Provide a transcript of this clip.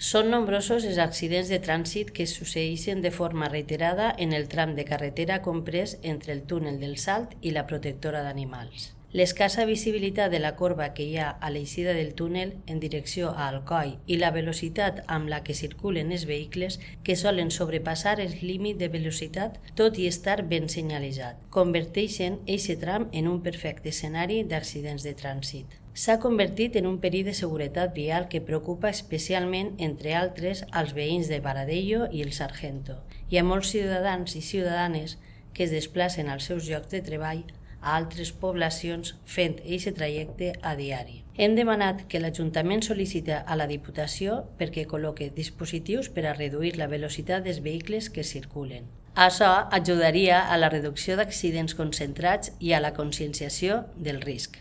Són nombrosos els accidents de trànsit que succeeixen de forma reiterada en el tram de carretera comprès entre el túnel del Salt i la protectora d'animals. L'escassa visibilitat de la corba que hi ha a l'eixida del túnel en direcció a Alcoi i la velocitat amb la que circulen els vehicles que solen sobrepassar el límit de velocitat tot i estar ben senyalitzat, converteixen aquest tram en un perfecte escenari d'accidents de trànsit. S'ha convertit en un perill de seguretat vial que preocupa especialment, entre altres, als veïns de Baradello i el Sargento i a molts ciutadans i ciutadanes que es desplacen als seus llocs de treball a altres poblacions fent aquest trajecte a diari. Hem demanat que l'Ajuntament sol·licita a la Diputació perquè col·loque dispositius per a reduir la velocitat dels vehicles que circulen. Això ajudaria a la reducció d'accidents concentrats i a la conscienciació del risc.